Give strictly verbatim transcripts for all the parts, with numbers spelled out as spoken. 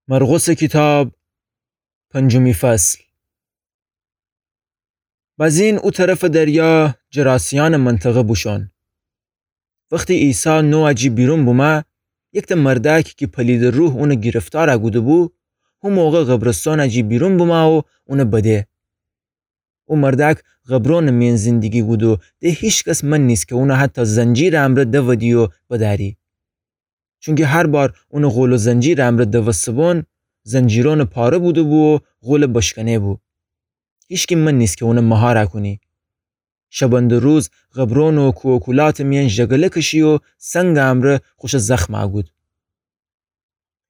مرقسٚ کیتاب، پنجمی فصل. بزین او طرفٚ دریا جراسیأنٚ منطقه بوشون. وختی عیسی نوأ جی بیرون بومه، یکتأ مردأک کی پلیدٚ روح اونٚ گیرفتارأ کوده‌بو، هو موقع قبرستونأ جی بیرون بومه و اونٚ بده. او مردأک قبرونٚ میأن زندگی کودو، ده هیکس من نیسه کی اونٚ حتی زنجیرٚ امرأ دودی و بدأری. چونکی هر بار اونٚ قول و زنجیرٚ امرأ دوسته‌بون، زنجیرونٚ پاره بوده‌بو و قول بشکنه‌بو. هیکس من نیسه کی اونٚ مهارأ کونی. شبنده‌روز قبرون و کوه و کولاتٚ میأن ژگله کشی و سنگٚ امرأ خوشٚ زخمأ کود.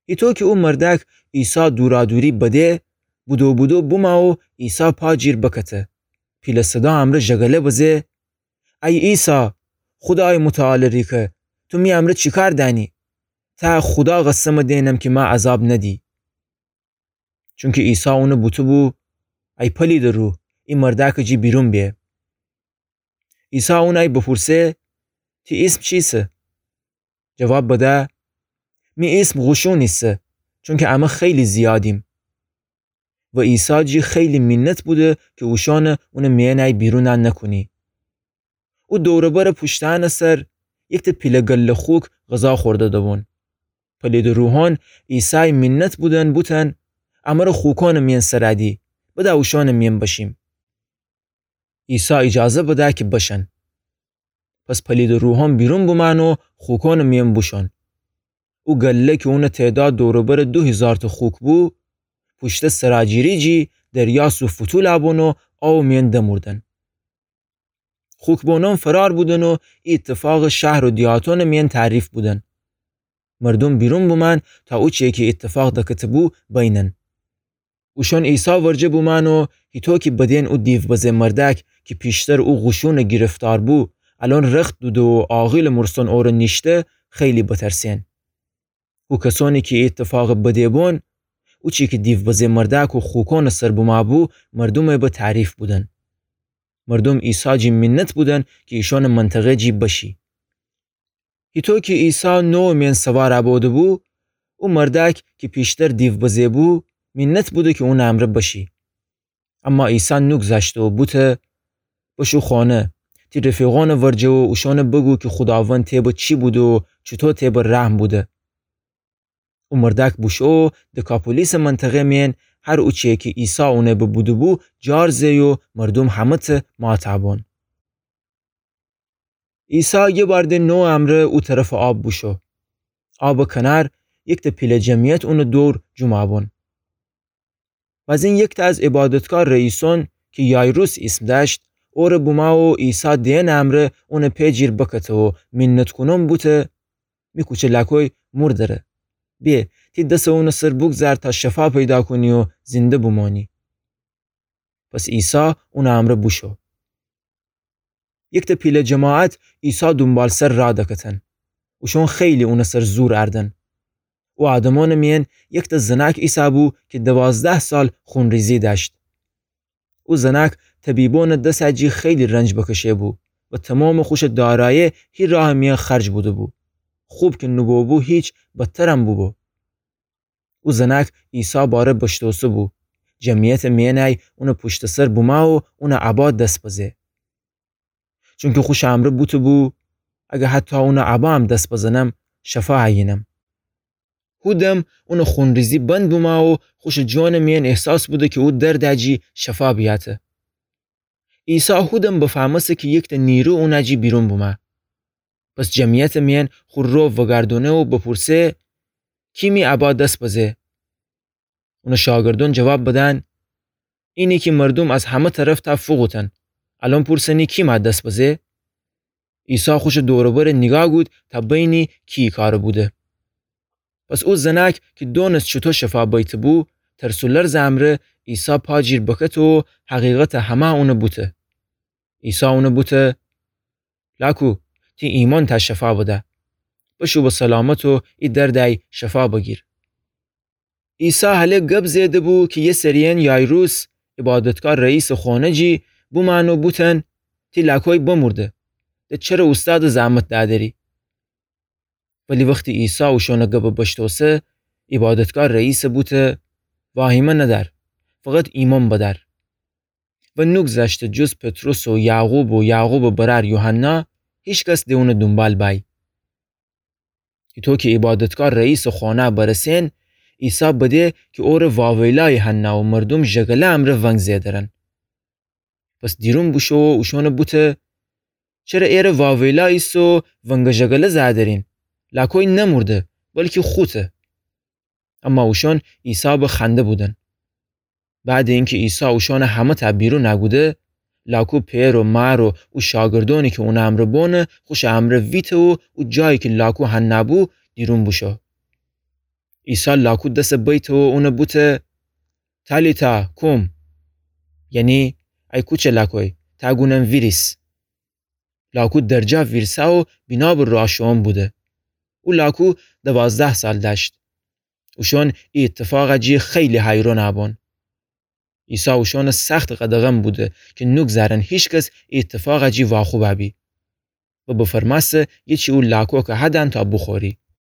هیطو کی او مردأک عیسی دورادوری بده، بودو بودو بومه و عیسی پا جیر بکته. پیله صدا امرأ ژگله بزه: ای عیسی، خودایٚ متعالٚ ریکه، تو می امرأ چی کار دأنی؟ تأ خودا قسم دئنم کی مأ عذاب ندی. چونکی عیسی اونٚ بوته‌بو: ای پلیدٚ روح، ای مردأکٚ جی بیرون به. عیسی اونأی بپورسه: تی ایسم چیسه؟ جواب بده: می ایسم قوشون ایسه، چونکی امه خیلی زیادیم. و عیسی جی خیلی مینت بوده کی اوشأنٚ اونٚ میأنأی بیرونأ نکونی. او دور و برٚ پوشتأنٚ سر یکتأ پیله گله خوک غذا خورده‌ده‌بون. پلیدٚ روحأن عیسای مینت بودن، بوتن: امر خوکأنٚ میأن سرأدی، بده اوشأنٚ میأن بشیم. عیسی ایجازه بده کی بشن. پس پلیدٚ روحأن بیرون بومأن و خوکأنٚ میأن بوشون. او گله کی اونٚ تعداد دور و برٚ دو هیزارتأ خوک بو، پوشته سراجیری جی دریا سو فتولأ بون و آوٚ میأن دموردن. خوکبونأن فرار بودن و ای ایتفاقٚ شهر و دیهاتأنٚ میأن تعریف بودن. مردوم بیرون بومأن تا اوچه کی ایتفاق دکته‌بو بینن. اوشأن عیسی ورجه بومأن و هیطو کی بدین او دیوبزه مردأک کی پیشتر او قوشونٚ گیرفتار بو، الأن رخت دوده و عاقیلٚ مرسن اورٚ نیشته، خیلی بترسین. او کسأنی کی ای ایتفاقٚ بده‌بون، اوچی کی دیوبزه مردأک و خوکأنٚ سر بومأبو، مردومٚ به تعریف بودن. مردوم عیسی جی مینت بودن کی ایشأنٚ منطقه جی بشی. هیطو کی عیسی نوٚوٚ میأن سوارأ بوده‌بو، او مردأک کی پیشتر دیوبزه بو، مینت بوده کی اونٚ امرأ بشی. اما عیسی نوگذشته و بوته: بشو خانه، تی رفیقأنٚ ورجه و اوشأنٚ بگو کی خوداوند تی به چی بوده و چوطو تی به رحم بوده. او مردأک بوشو و دکاپولیسٚ منطقه میأن هر اوچه کی عیسی اونٚ به بوده‌بو جار زه‌یی و مردوم همه‌تأ ماتأ بون. عیسی یه بار ده نوٚوٚ امرأ او طرفٚ آب بوشو. آبٚ کنار یکتأ پیله جمعیت اونٚ دور جومأ بون. بزین یکتأ از عبادتکار رئیسأن کی یایروس ایسم دأشت، اورٚ بومأ و عیسی دئنٚ امرأ اونٚ پئ جیر بکته و مینت کونن بوته: می کوچه لأکوی مردره. به، تی دسٚ اونٚ سر بوگذار تا شفا پیدا کونی و زنده بومأنی. پس عیسی اونٚ امرأ بوشو. یکتأ پیله جماعت عیسی دونبالسر رأ دکتن. اوشأن خیلی اونٚ سر زور اردن. او آدمأنٚ میأن یکتأ زنأک ایسه‌بو کی دوازده سال خونریزی دأشت. او زنأک طبیبأنٚ دسأ جی خیلی رنج بکشه‌بو و تومامٚ خوشٚ دارایی هی راهٚ میأن خرج بوده‌بو. خوب کی نوبوبو هیچ، بدترم بوبو. او زنأک عیسی باره بشتوسه‌بو. جمعیتٚ میأنأی اونٚ پوشتٚ سر بومأ و اونٚ عبا دس بزه. چونکی خوشٚ امرأ بوته‌بو: اگر حتی اونٚ عبایم دس بزنم، شفا ایینم. هو دم اونٚ خونریزی بند بومأ و خوشٚ جانٚ میأن احساس بوده کی او دردأ جی شفا بیأته. عیسی هو دم بفهمسته کی یکتأ نیرو اونأ جی بیرون بومأ. پس جمعیتٚ میأن خو رو وگردونه و بپورسه: کی می عبا دس بزه؟ اونٚ شاگردأن جواب بدن: اینی کی مردوم از همه طرف تأ فوقوتن. الأن پورسنی کی مأ دس بزه؟ عیسی خوشٚ دور و بر نیگاه کود تا بینی کی ای کار بوده. پس او زنأک کی دونست چوطو شفا بیته‌بو، ترس و لرزٚ امرأ عیسی پا جیر بکته و حقیقتأ همه اونٚ بوته. عیسی اونٚ بوته: لأکو، تی ایمأن تأ شفا بده. بشو به سلامت و ای دردأی شفا بگیر. عیسی هله گب زئیده‌بو کی یه سری‌یأن یایروس، عبادتکار رئیسٚ خونه جی، بومأن و بوتن: تی لأکوی بمورده، ده چره اوستادٚ زحمت دأدری؟ ولی وختی عیسی اوشأنٚ گب بشتوسه، عیبادتگاه رئیسٚ بوته: واهیمه ندأر، فقط ایمأن بدأر. و نوگذشته جز پطرس و یعقوب و یعقوبٚ برأر یوحنا، هیکس د اونٚ دونبال بأی. ایتو کی عیبادتگاه رئیسٚ خونه برسئن، عیسی بده کی اوره واویلأیی هنه و مردوم ژگله امرأ ونگ زئدرن. پس دیرون بوشو و اوشأنٚ بوته: چره ایره واویلا ایسه و ونگ ژگله زئدرین؟ لاکوی نمورده، بلکی خوته. اما اوشأن عیسی بخنده بودن. بعدٚ اینکی عیسی اوشأنٚ همه‌تأ بیرون کوده، لاکو پئر و مار و او شاگردأنی کی اونٚ امرأ بوأنه، خوشٚ امرأ ویته و او جایی کی لاکو هنه بو، دیرون بوشو. عیسی لاکو دسٚ بیته و اونٚ بوته: تالیتا کوم، یعنی: ای کوچه لاکوی، تا گونم ویریس. لاکو درجا ویرسه و بینابر راه شوئون بوده. او لاکو دوازده سال دأشت. اوشأن ای ایتفاقٚ جی خیلی حیرأن بون. عیسی اوشأنٚ سخت قدغن بوده کی نوگذرن هیکس ای ایتفاقٚ جی واخوب بی. و بفرمأسته گیچی او لاکوکٚ هدن تا بوخوری.